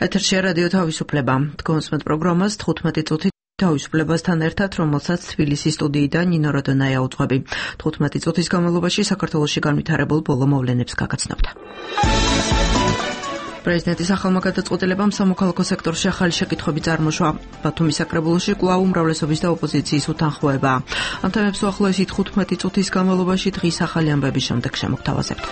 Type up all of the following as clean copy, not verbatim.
ეთერშია რადიო თავისუფლება. თქვენს პროგრამას 15 წუთი თავისუფლებასთან ერთად, რომელსაც თბილისის სტუდიიდან ნინო როდონაია უძღვები. 15 წუთის განმავლობაში საქართველოში განვითარებულ ბოლო მოვლენებს გაგაცნობთ. პრეზიდენტის ახალმა გადაწყვეტილებამ სამოქალაქო სექტორში ახალი შეკითხვები წარმოშვა. ბათუმის საკრებულოში კვლავ უმრავლესობის და ოპოზიციის უთანხმოებაა. ამ თემებს უახლოესი 15 წუთის განმავლობაში დღის ახალი ამბების შემდეგ შემოგთავაზებთ.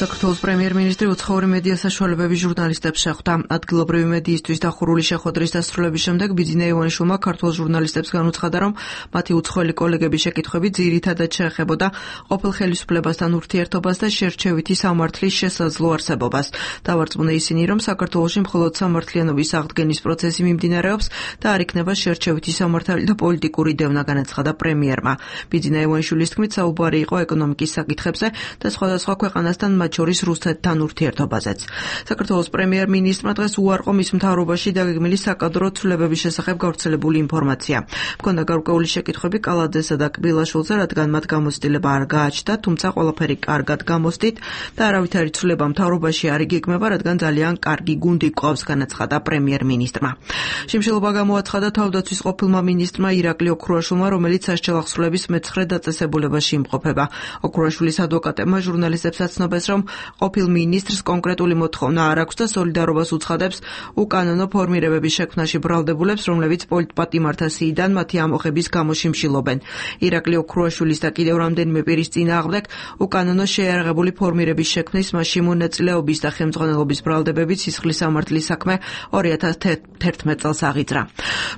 საქართველოს პრემიერ-მინისტრი უცხოური მედია საშუალებების ჟურნალისტებს შეხვდა. ადგილობრივი მედიისთვის დახურული შეხვედრის დასრულების შემდეგ ბიძინა ივანიშვილმა ქართულ ჟურნალისტებს განუცხადა, რომ მათი უცხოელი კოლეგების შეკითხვები ძირითადად შეეხებოდა ყოფილ ხელისუფლებასთან ურთიერთობას და შერჩევითი სამართლის შესაძლო არსებობას. დავარწმუნა ისინი, რომ საქართველოში მხოლოდ სამართლიანობის აღდგენის პროცესი მიმდინარეობს და არ იქნება შერჩევითი სამართალი და პოლიტიკური დევნა, განაცხადა პრემიერმა. ბიძინა ივანიშვილის თქმით, საუბარი იყო ეკონომიკის საკითხებზე და სხვადასხვა ქვეყანასთან შორის რუსეთთან ურთიერთობაზეც. საქართველოს პრემიერ-მინისტრმა დღეს უარყო მის მთავრობაში დაგეგმილი საკადრო ცვლილებების შესახებ გავრცელებული ინფორმაცია. მქონდა გარკვეული შეკითხვები კალაძესა და კბილაშვილზე, რადგან მათ გამოცდილება არ გააჩნდა, თუმცა ყველაფერი კარგად გამოსდით და არავითარი ცვლილება მთავრობაში არ იგეგმება, რადგან ძალიან კარგი გუნდი გვყავს, განაცხადა პრემიერ-მინისტრმა. შიმშილობა გამოაცხადა თავდაცვის ყოფილმა მინისტრმა ირაკლი ოქრუაშვილმა, რომელიც სასჯელ ახსნილების მე-9 დაწესებულებაში იმყოფება. ოქრუაშვილის ადვოკატებმა ჟურნალისტებს აცნობეს, რომ ყოფილ მინისტრს კონკრეტული მოთხოვნა არ აქვს და სოლიდარობას უცხადებს უკანონო ფორმირებების შექმნაში ბრალდებულებს, რომლებიც პოლიტპატიმართა სიიდან მათი ამოხების გამო შიმშილობენ. ირაკლი ოქრუაშვილის და კიდევ რამდენიმე პირის წინააღმდეგ უკანონო შეიარაღებული ფორმირების შექმნის, მასში მონაწილეობის და ხელმძღვანელობის ბრალდებებით სისხლის სამართლის საქმე 2011 წელს აღიძრა.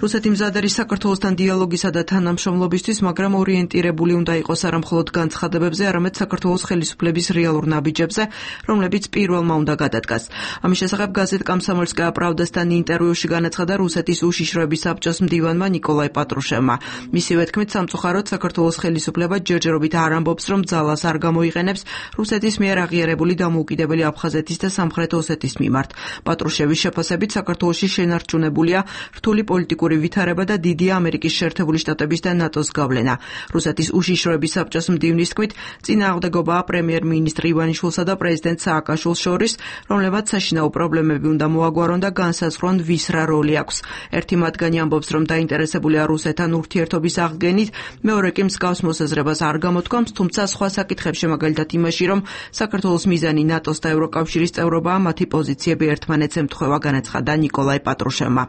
რუსეთი მზად არის საქართველოსთან დიალოგისა და თანამშრომლობისთვის, მაგრამ ორიენტირებული უნდა იყოს არა მხოლოდ განცხადებებზე, არამედ საქართველოს ხელისუფლების რეალურ ნაბიჯებზე, რომლებიც პირველმა უნდა გადადგას. ამის შესახებ გაზეთ „კომსომოლსკაია პრავდასთან“ ინტერვიუში განაცხადა რუსეთის უშიშროების საბჭოს მდივანმა ნიკოლაი პატრუშევმა. მისივე თქმით, სამწუხაროდ საქართველოს ხელისუფლება ჯერჯერობით არ ამბობს, რომ ძალას არ გამოიყენებს რუსეთის მიერ აღიარებული დამოუკიდებელი აფხაზეთის და სამხრეთ ოსეთის მიმართ. პატრუშევის შეფასებით, საქართველოში შენარჩუნებულია რთული პოლიტიკური ვითარება და დიდია ამერიკის შეერთებული შტატების და ნატოს გავლენა. რუსეთის უშიშროების საბჭოს მდივნის თქმით, წინააღმდეგობაა პრემიერ-მინისტრი ივანიშვილსა და პრეზიდენტ სააკაშვილს შორის, რომლებმაც საშინაო პრობლემები უნდა მოაგვარონ და განსაზღვრონ ვის რა როლი აქვს. ერთი მათგანი ამბობს, რომ დაინტერესებულია რუსეთთან ურთიერთობის აღდგენით, მეორე კი მსგავს მოსაზრებას არ გამოთქვამს, თუმცა სხვა საკითხებში, მაგალითად იმაში, რომ საქართველოს მიზანი ნატოს და ევროკავშირის წევრობაა, მათი პოზიციები ერთმანეთს ემთხვევა, განაცხადა ნიკოლაი პატრუშევმა.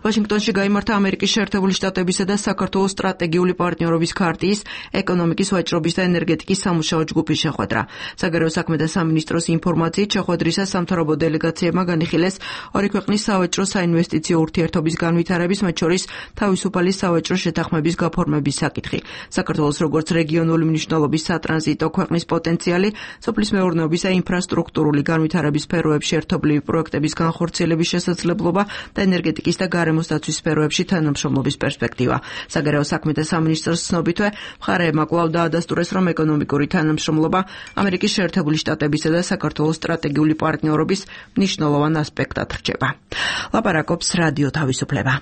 ვაშინგტონში გაიმართა ამერიკის შეერთებული შტატებისა და საქართველოს სტრატეგიული პარტნიორობის ქარტიის, ეკონომიკის, ვაჭრობის და ენერგეტიკის სამუშაო ჯგუფის შეხვედრა. საგარეო საქმეთა სამინისტროს ინფორმაციით, შეხვედრისას სამთავრობო დელეგაციებმა განიხილეს ორი ქვეყნის სავაჭრო საინვესტიციო ურთიერთობის განვითარების, მათ შორის თავისუფალი სავაჭრო შეთანხმების გაფორმების საკითხი. საქართველოს როგორც რეგიონული მნიშვნელობის სატრანზიტო ქვეყნის პოტენციალი, სოფლის მეურნეობის და ინფრასტრუქტურული განვითარების სფეროებში ერთობლივი პროექტების განხორციელების შესაძლებლობა და ენერგეტიკის და გარემოს დაცვის სფეროებში თანამშრომლობის პერსპექტივა. საგარეო საქმეთა სამინისტროს ცნობითვე, მხარეებმა კვლავ დაადასტურეს, რომ ეკონომიკური თანამშრომლობა ამერიკის შეერთებული შტატებისა და საქართველოს სტრატეგიული პარტნიორობის მნიშვნელოვან ასპექტად რჩება. ლაპარაკობს რადიო თავისუფლება.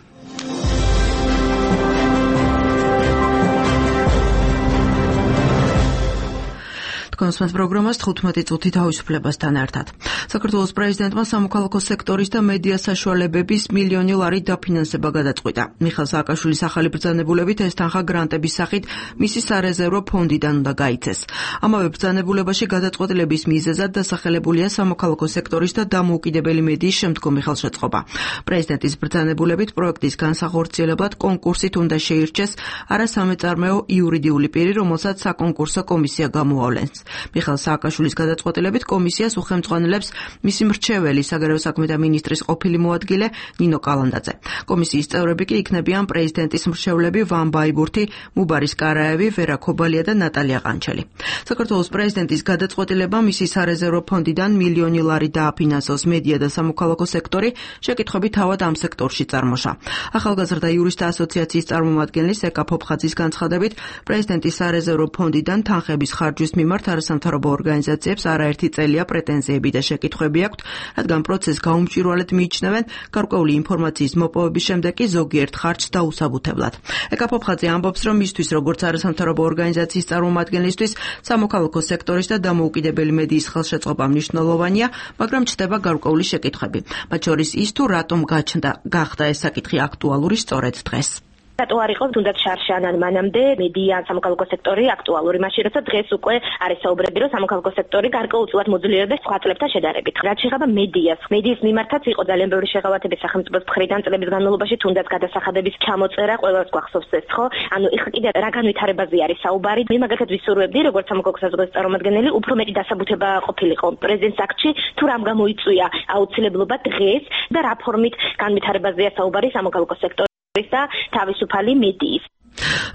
თქვენს პროგრამას 15 წუთი თავისუფლებასთან ერთად. საქართველოს პრეზიდენტმა სამოქალაქო სექტორის და მედია საშუალებების მილიონი ლარი დაფინანსება გადაწყვიტა. მიხეილ სააკაშვილის ახალი ბრძანებულებით ეს თანხა გრანტების სახით მისი სარეზერვო ფონდიდან უნდა გაიცეს. ამავე ბრძანებულებაში გადაწყვეტილების მიზეზად დასახელებულია სამოქალაქო სექტორის და დამოუკიდებელი მედიის შემდგომი ხელშეწყობა. პრეზიდენტის ბრძანებულებით პროექტის განსახორციელებლად კონკურსით უნდა შეირჩეს არასამეწარმეო იურიდიული პირი, რომელსაც საკონკურსო კომისია გამოავლენს. მიხეილ სააკაშვილის გადაწყვეტილებით კომისიას უხელმძღვანელებს მისი მრჩეველი საგარეო საქმეთა მინისტრის ყოფილი მოადგილე ნინო კალანდაძე. კომისიის წევრები კი იქნებიან პრეზიდენტის მრჩევლები ვან ბაიბურთი, მუბარის კარაევი, ვერა ქობალია და ნატალია ყანჩელი. საქართველოს პრეზიდენტის გადაწყვეტილება მისი სარეზერვო ფონდიდან მილიონი ლარი დააფინანსოს მედია და სამოქალაქო სექტორი შეკითხვები თავად ამ სექტორში წარმოშა. ახალგაზრდა იურისტთა ასოციაციის წარმომადგენლის ეკა ფოფხაძის განცხადებით, პრეზიდენტის სარეზერვო ფონდიდან თანხების ხარჯვის მიმართ არასამთავრობო ორგანიზაციებს არაერთი წელია პრეტენზიები და შეკითხვები აქვთ, რადგან პროცესს გაუმჭვირვალედ მიიჩნევენ, გარკვეული ინფორმაციის მოპოვების შემდეგ კი ზოგიერთ ხარჯს დაუსაბუთებლად. ეკა ფოფხაძე ამბობს, რომ მისთვის როგორც არასამთავრობო ორგანიზაციის წარმომადგენლისთვის სამოქალაქო სექტორის და დამოუკიდებელი მედიის ხელშეწყობა მნიშვნელოვანია, მაგრამ ჩნდება გარკვეული შეკითხვები. მათ შორის ის თუ რატომ გახდა ეს საკითხი აქტუალური სწორედ დღეს. რატო არ იყო თუნდაც შარშანან მანამდე მედია სამოქალაქო სექტორი აქტუალური, მაშინ როცა დღეს უკვე არის საუბრები, რომ სამოქალაქო სექტორი გარკვეულწილად მოძლიერდეს სხვა წლებთან შედარებით. რაც შეეხება მედიის მიმართაც იყო ძალიან ბევრი შეღავათები სახელმწიფოს მხრიდან წლების განმავლობაში, თუნდაც გადასახადების ჩამოწერა, ყველას გვახსოვს ეს, ხო? ანუ ეხლა კიდე რა განვითარებაზე არის საუბარი? მე მაგალითად ვისურვებდი, როგორც სამოქალაქო საზოგადოების წარმომადგენელი, უფრო მეტი დასაბუთება ყოფილიყო პრეზიდენტს აქტში, თუ რამ გამოიწვია აუცილებლობა დღეს და რა ფორმით განვითარებაზეა საუბარი სამოქალაქო სექტორის და თავისუფალი მედიის.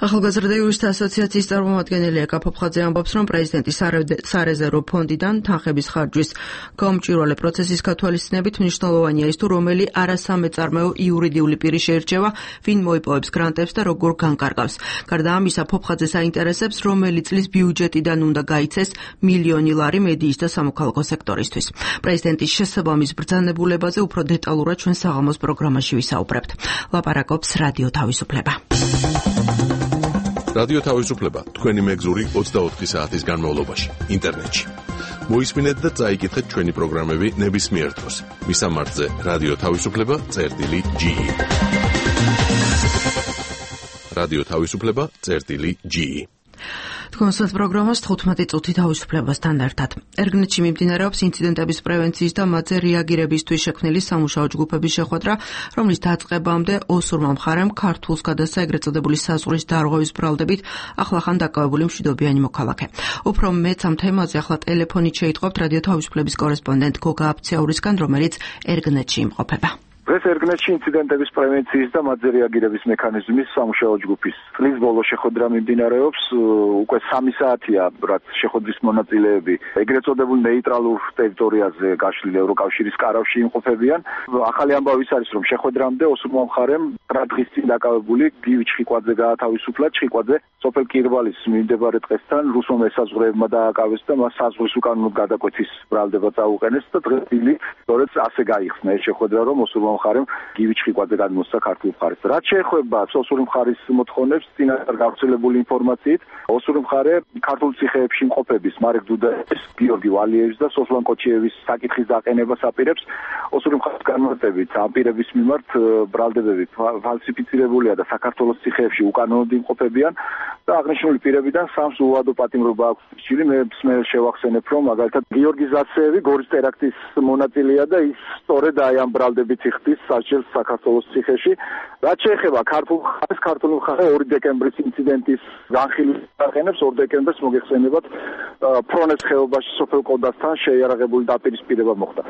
ახალგაზრდა იურისტთა ასოციაციის წარმომადგენელი ეკა ფოფხაძე ამბობს, რომ პრეზიდენტის სარეზერვო ფონდიდან თანხების ხარჯვის გაუმჭვირვალე პროცესის გათვალისწინებით მნიშვნელოვანია ის, თუ რომელი არასამეწარმეო იურიდიული პირი შეირჩევა, ვინ მოიპოვებს გრანტებს და როგორ განკარგავს. გარდა ამისა, ფოფხაძეს აინტერესებს, რომელი წლის ბიუჯეტიდან უნდა გაიცეს მილიონი ლარი მედიის და სამოქალაქო სექტორისთვის. პრეზიდენტის შესაბამის ბრძანებულებაზე უფრო დეტალურად ჩვენ საღამოს პროგრამაში ვისაუბრებთ. ლაპარაკობს რადიო თავისუფლება. რადიო თავისუფლება თქვენი მეგზური 24 საათის განმავლობაში ინტერნეტში. მოისმინეთ და წაიკითხეთ ჩვენი პროგრამები ნებისმიერ დროს. მისამართზე რადიო თავისუფლება.ge. რადიო თავისუფლება.ge. თქვენს პროგრამას 15 წუთი თავისუფლებასთან ერთად. ერგნეთში მიმდინარეობს ინციდენტების პრევენციის და მათზე რეაგირებისთვის შექმნილი სამუშაო ჯგუფების შეხვედრა, რომლის დაწყებამდე ოსურმა მხარემ ქართულს გადასცა ეგრეთ წოდებული საზღვრის დარღვევის ბრალდებით ახლახან დაკავებული მშვიდობიანი მოქალაქე. უფრო მეც ამ თემაზე ახლა ტელეფონით შეიტყობთ რადიო თავისუფლების კორესპონდენტ გოგა აფციაურისგან, რომელიც ერგნეთში იმყოფება. დღეს ერგნეთში ინციდენტების პრევენციის და მათზე რეაგირების მექანიზმის სამუშაო ჯგუფის წლის ბოლო შეხვედრა მიმდინარეობს. უკვე 3 საათია, რაც შეხვედრის მონაწილეები ეგრეთ წოდებულ ნეიტრალურ ტერიტორიაზე გაშლილი ევროკავშირის კარავში იმყოფებიან. ახალი ამბავი არის, რომ შეხვედრამდე ოსურმა მხარემ 9 დღის წინ დაკავებული გივი ჩხიკვაძე გაათავისუფლა. ჩხიკვაძე სოფელ კირვალის მიმდებარე ტყესთან რუსულ მესაზღვრეებმა დააკავეს და მას საზღვრის უკანონოდ გადაკვეთის ბრალდება წაუყენეს და დღეს სწორედ ასე გაიხსნა ეს შეხვედრა, რომ ოსურმა მხარემ გივი ჩხიკვაძე გადმოსცა ქართულ მხარეს. რაც შეეხება ოსური მხარის მოთხოვნებს, წინასწარ გავრცელებული ინფორმაციით, ოსური მხარე ქართულ ციხეებში მყოფების მარეკ დუდაევის, გიორგი ვალიევის და სოსლან კოჩიევის საკითხის დაყენებას აპირებს. ოსური მხარის განმარტებით, ამ პირების მიმართ ბრალდებები ფალსიფიცირებულია და საქართველოს ციხეებში უკანონოდ იმყოფებიან და აღნიშნული პირებიდან 3 უადო პატიმრობა აქვს რჩილი. მე შევახსენებ, რომ მაგალითად გიორგი ზაცეევი გორის ტერაქტის მონაწილეა და ის სწორედ აი ამ ბრალდებით იხდის საჭირს საქართველოს ციხეში. რაც შეეხება ქართულ მხარე 2 დეკემბრის ინციდენტის განხილვის აყენებს. 2 დეკემბერს მოგეხსენებათ ფრონეს ხეობაში სოფელ კოდასთან შეიარაღებული დაპირისპირება მოხდა.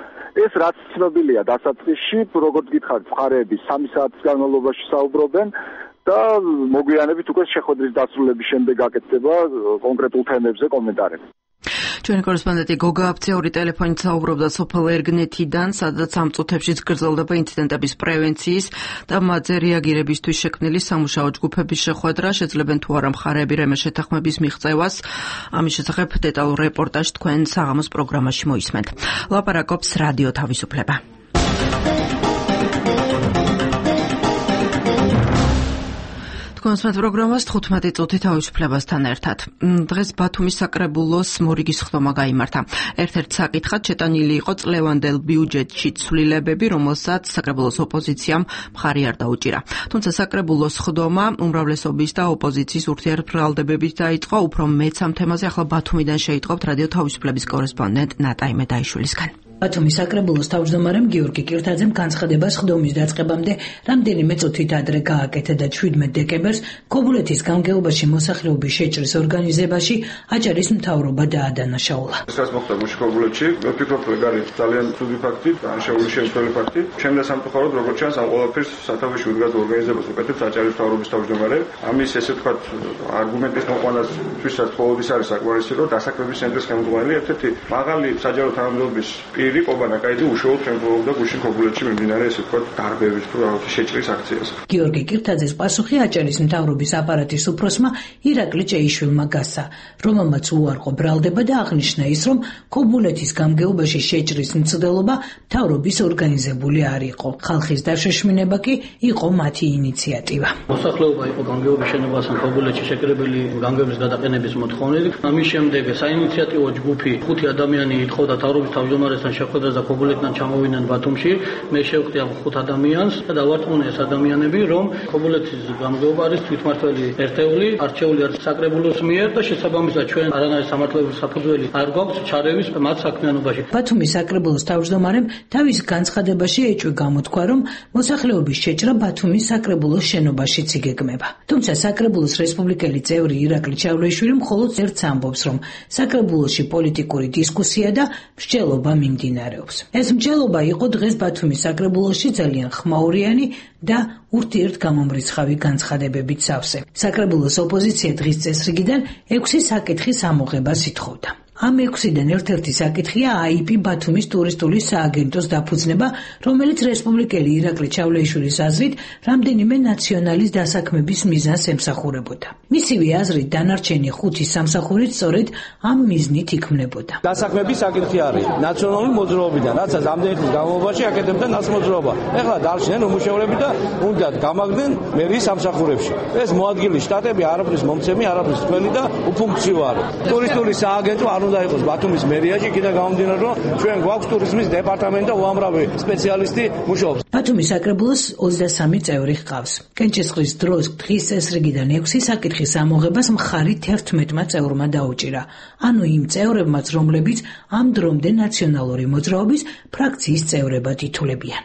ეს რაც ცნობილია დასაწყისში, როგორც გითხარით, მხარეები 3 საათის განმავლობაში საუბრობენ და მოგვიანებით უკვე შეხვედრის დასრულების შემდეგ გაკეთდება კონკრეტულ თემებზე კომენტარები. ჩვენი კორესპონდენტი გოგა აფციაური ტელეფონით საუბრობდა სოფელ ერგნეთიდან, სადაც ამ წუთებში გრძელდება ინციდენტების პრევენციის და მათზე რეაგირებისთვის შექმნილი სამუშაო ჯგუფების შეხვედრა. შეძლებენ თუ არა მხარეები რამე შეთანხმების მიღწევას. ამის შესახებ დეტალურ რეპორტაჟს თქვენ საღამოს პროგრამაში მოისმენთ. ლაპარაკობს რადიო თავისუფლება. თქვენს პროგრამას 15 წუთი თავისუფლებასთან ერთად. დღეს ბათუმის საკრებულოს მორიგის ხდომა გაიმართა. ერთ-ერთ საკითხად შეტანილი იყო წლევანდელ ბიუჯეტში ცვლილებები, რომელსაც საკრებულოს ოპოზიციამ მხარი არ დაუჭირა. თუმცა საკრებულოს ხდომა უმრავლესობის და ოპოზიციის ურთიერთბრალდებებით დაიწყო. უფრო მეც ამ თემაზე ახლა ბათუმიდან შეიტყობთ რადიო თავისუფლების კორესპონდენტ ნატა იმედაიშვილისგან. ბათუმის საკრებულოს თავმჯდომარემ გიორგი კირთაძემ განცხადება ხდომის დაწყებამდე რამდენიმე წუთით ადრე გააკეთა და 17 დეკემბერს ქობულეთის გამგეობაში მოსახლეობის შეჭრის ორგანიზებაში აჭარის მთავრობა დაადანაშაულა. ეს მოხდა მუშქობულეთში, მე ვფიქრობ, რომ არის ძალიან ცუდი ფაქტი, განშეული შემთხვეველი ფაქტი. ჩემს სამწუხაროდ, როგორც ჩანს, ამ ყველაფერს სათავეში უდგას ორგანიზებას უკეთებს აჭარის მთავრობის თავმჯდომარე. ამის ესე ვთქვათ, არგუმენტის მოყვანასთვისაც ყოველთვის არის საკმარისი, რომ დასაქმების ცენტრის ხელმძღვანელი ერთ-ერთი მაღალი საჯარო თანამდებობის ირირი ყობანაკაიძე უშუალოდ ხელმძღვანელობდა გუშინ ქობულეთში მიმდინარე ესე ვთქვათ დარბევის თუ რაღაცა შეჭრის აქციას. გიორგი კირთაძის პასუხი აჭარის მთავრობის აპარატის უფროსმა ირაკლი ჭეიშვილმა გასცა, რომელმაც უარყო ბრალდება და აღნიშნა ის, რომ ქობულეთის გამგეობაში შეჭრის მცდელობა მთავრობის ორგანიზებული არ იყო. ხალხის დაშოშმინება კი იყო მათი ინიციატივა. მოსახლეობა იყო გამგეობის შენობასთან ქობულეთში შეკრებილი გამგეობის გადაყენების მოთხოვნით. ამის შემდეგ საინიციატივო ჯგუფი 5 ადამიანი ითხოვდა მთავრობის თავმჯდომარესთან შეხვედრას და ქობულეთიდან ჩამოვიდნენ ბათუმში. მე შევხვდი ამ 5 ადამიანს და დავარწმუნე ეს ადამიანები, რომ ქობულეთის გამგეობა არის თვითმართველი ერთეული, არჩეული არის საკრებულოს მიერ და შესაბამისად ჩვენ არანაირი სამართლებრივი საფუძველი არ გვაქვს ჩარევის მათ საქმიანობაში. ბათუმის საკრებულოს თავმჯდომარემ თავის განცხადებაში ეჭვი გამოთქვა, რომ მოსახლეობის შეჭრა ბათუმის საკრებულოს შენობაშიც იგეგმება. თუმცა საკრებულოს რესპუბლიკელი წევრი ირაკლი ჭავლეიშვილი მხოლოდ ერთს ამბობს, რომ საკრებულოში პოლიტიკური დისკუსია და მსჯელობა მიმდინარეობს. ეს მსჯელობა იყო დღეს ბათუმის საკრებულოში ძალიან ხმაურიანი და ურთიერთგამომრიცხავი განცხადებებით სავსე. საკრებულოს ოპოზიცია დღის წესრიგიდან 6 საკითხის ამოღებას ითხოვდა. ამ 6-დან ერთ-ერთი საკითხია AIP ბათუმის ტურისტული სააგენტოს დაფუძნება, რომელიც რესპუბლიკელი ირაკლი ჭავლეიშვილის აზრით რამდენიმე ნაციონალის დასაქმების მიზანს ემსახურებოდა. მისივე აზრით დანარჩენი 5 სამსახურით სწორედ ამ მიზნით იქმნებოდა. დასაქმების საკითხი არის ნაციონალური მოძრაობიდან, რაც ამდენი ხნის განმავლობაში აკეთებდა ნაცმოძრაობა. ეხლა დარჩნენ უმუშევრები და უნდა გამაგდნენ მერის სამსახურებში. ეს მოადგილე შტატები არაფრის მომცემი, არაფრის თქვენი და უფუნქციო არის. ტურისტული სააგენტო არ უნდა იყოს ბათუმის მერიაში, იქიდან გამომდინარე, რომ ჩვენ გვაქვს ტურიზმის დეპარტამენტი და უამრავი სპეციალისტი მუშაობს. ბათუმის საკრებულოს 23 წევრი ჰყავს. კენჭისყრის დროს დღის წესრიგიდან 6 საკითხის ამოღებას მხარი 11 წევრმა დაუჭირა. ანუ იმ წევრებმაც, რომლებიც ამ დრომდე ნაციონალური მოძრაობის ფრაქციის წევრებად ითვლებიან.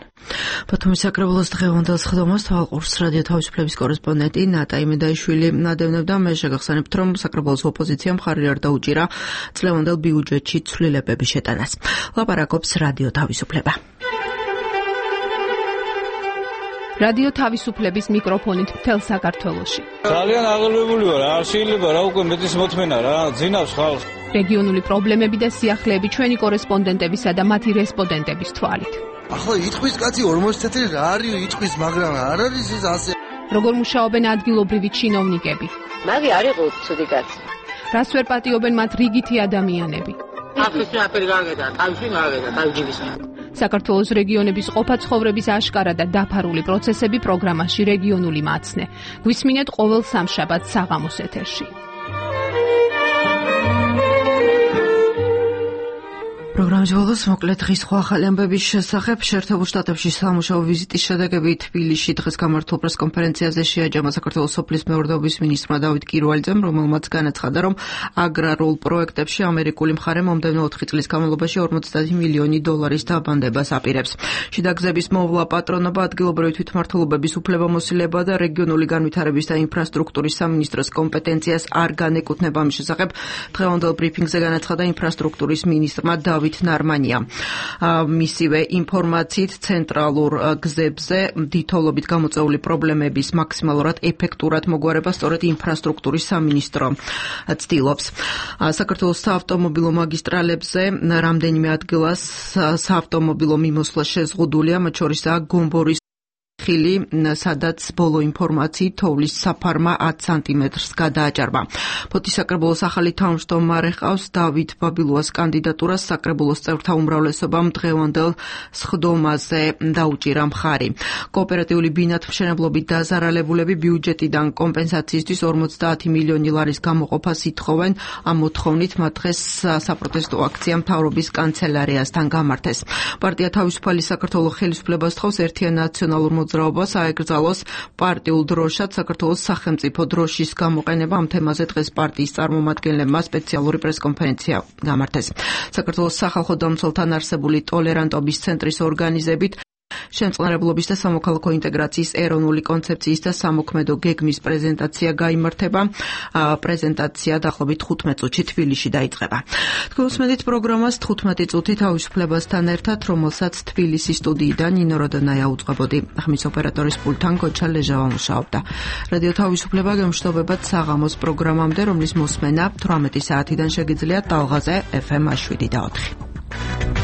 ბათუმის საკრებულოს დღევანდელ სხდომას თვალყურს რადიო თავისუფლების კორესპონდენტი ნატა იმედაიშვილი ნადევნებდა. მე შეგახსენებთ, რომ საკრებულოს ოპოზიციამ მხარი არ დაუჭირა წლევანდელ ბიუჯეტში ცვლილებების შეტანას. ლაპარაკობს რადიო თავისუფლება. რადიო თავისუფლების მიკროფონით მთელ საქართველოში. ძალიან აღელვებული ვარ, არ შეიძლება რა უკვე მეტის მოთმენა რა, ძინავს ხალხს. რეგიონული პრობლემები და სიახლეები ჩვენი კორესპონდენტებისა და მათი რესპონდენტების თვალით. ახლა იტყვის კაცი 40 წელი რა არის იტყვის, მაგრამ არ არის ეს ასე. როგორ მუშაობენ ადგილობრივი ჩინოვნიკები? მაგი არ იყო ცუდი კაცი. რას ვერ პატიობენ მათ რიგითი ადამიანები? ახლა აფერი გაგედა, თავში გაგედა, თავჯიბის. საქართველოს რეგიონების ყოფა-ცხოვრების აშკარა და დაფარული პროცესები პროგრამაში რეგიონული მაცნე. გვისმინეთ ყოველ სამშაბათს საღამოს ეთერში. პროგრამის ბოლოს მოკლედ დღის სხვა ახალი ამბების შესახებ. შეერთებულ შტატებში სამუშაო ვიზიტის შედეგები თბილისში დღეს გამართულ პრესკონფერენციაზე შეაჯამა საქართველოს სოფლის მეურნეობის მინისტრმა დავით კირვალიძემ, რომელმაც განაცხადა, რომ აგრარულ პროექტებში ამერიკული მხარე მომდევნო 4 წლის განმავლობაში 50 მილიონი დოლარის დაბანდებას აპირებს. შიდა გზების მოვლა, პატრონობა, ადგილობრივი თვითმმართველობების უფლებამოსილება და რეგიონული განვითარების და ინფრასტრუქტურის სამინისტროს კომპეტენციას არ განეკუთვნება. ამის შესახებ დღევანდელ ბრიფინგზე განაცხადა ინფრასტრუქტურის მინისტრმა დავით ნარმანია. მისივე ინფორმაციით ცენტრალურ გზებზე დიდთოვლობით გამოწვეული პრობლემების მაქსიმალურად ეფექტურად მოგვარება სწორედ ინფრასტრუქტურის სამინისტრო ცდილობს. საქართველოს საავტომობილო მაგისტრალებზე რამდენიმე ადგილას საავტომობილო მიმოსვლა შეზღუდულია, მათ შორისაა გომბორის ხილი, სადაც ბოლო ინფორმაციით თოვლის საფარმა 10 სანტიმეტრს გადააჭარბა. ფოთის საკრებულოს ახალი თავმჯდომარე ჰყავს დავით ბაბილუას კანდიდატურას. საკრებულოს წევრთა უმრავლესობამ დღევანდელ სხდომაზე დაუჭირა მხარი. კოოპერატიული ბინათმშენებლობით დაზარალებულები ბიუჯეტიდან კომპენსაციისთვის 50 მილიონი ლარის გამოყოფას ითხოვენ. ამ მოთხოვნით მათ დღეს საპროტესტო აქცია მთავრობის კანცელარიასთან გამართეს. პარტია თავისუფალი საქართველოს ხელისუფლებას თხოვს ერთიან ნაციონალურ მოძრაობას აეკრძალოს პარტიულ დროშად საქართველოს სახელმწიფო დროშის გამოყენება. ამ თემაზე დღეს პარტიის წარმომადგენლებმა სპეციალური პრესკონფერენცია გამართეს. საქართველოს სახალხო დამცველთან არსებული ტოლერანტობის ცენტრის ორგანიზებით შემწყნარებლობის და სამოქალაქო ინტეგრაციის ეროვნული კონცეფციის და სამოქმედო გეგმის პრეზენტაცია გაიმართება. პრეზენტაცია დაახლოებით 15 წუთში თბილისში დაიწყება. თქვენ უსმენთ პროგრამას 15 წუთი თავისუფლებასთან ერთად, რომელსაც თბილისის სტუდიიდან ნინო როდონაია უწყებოდი. ხმის ოპერატორის პულტთან გოჩა ლეჟავა მუშაობდა. რადიო თავისუფლება გემშვიდობებად საღამოს პროგრამამდე, რომლის მოსმენა 18 საათიდან შეგიძლიათ ტალღაზე FM 7 და 4.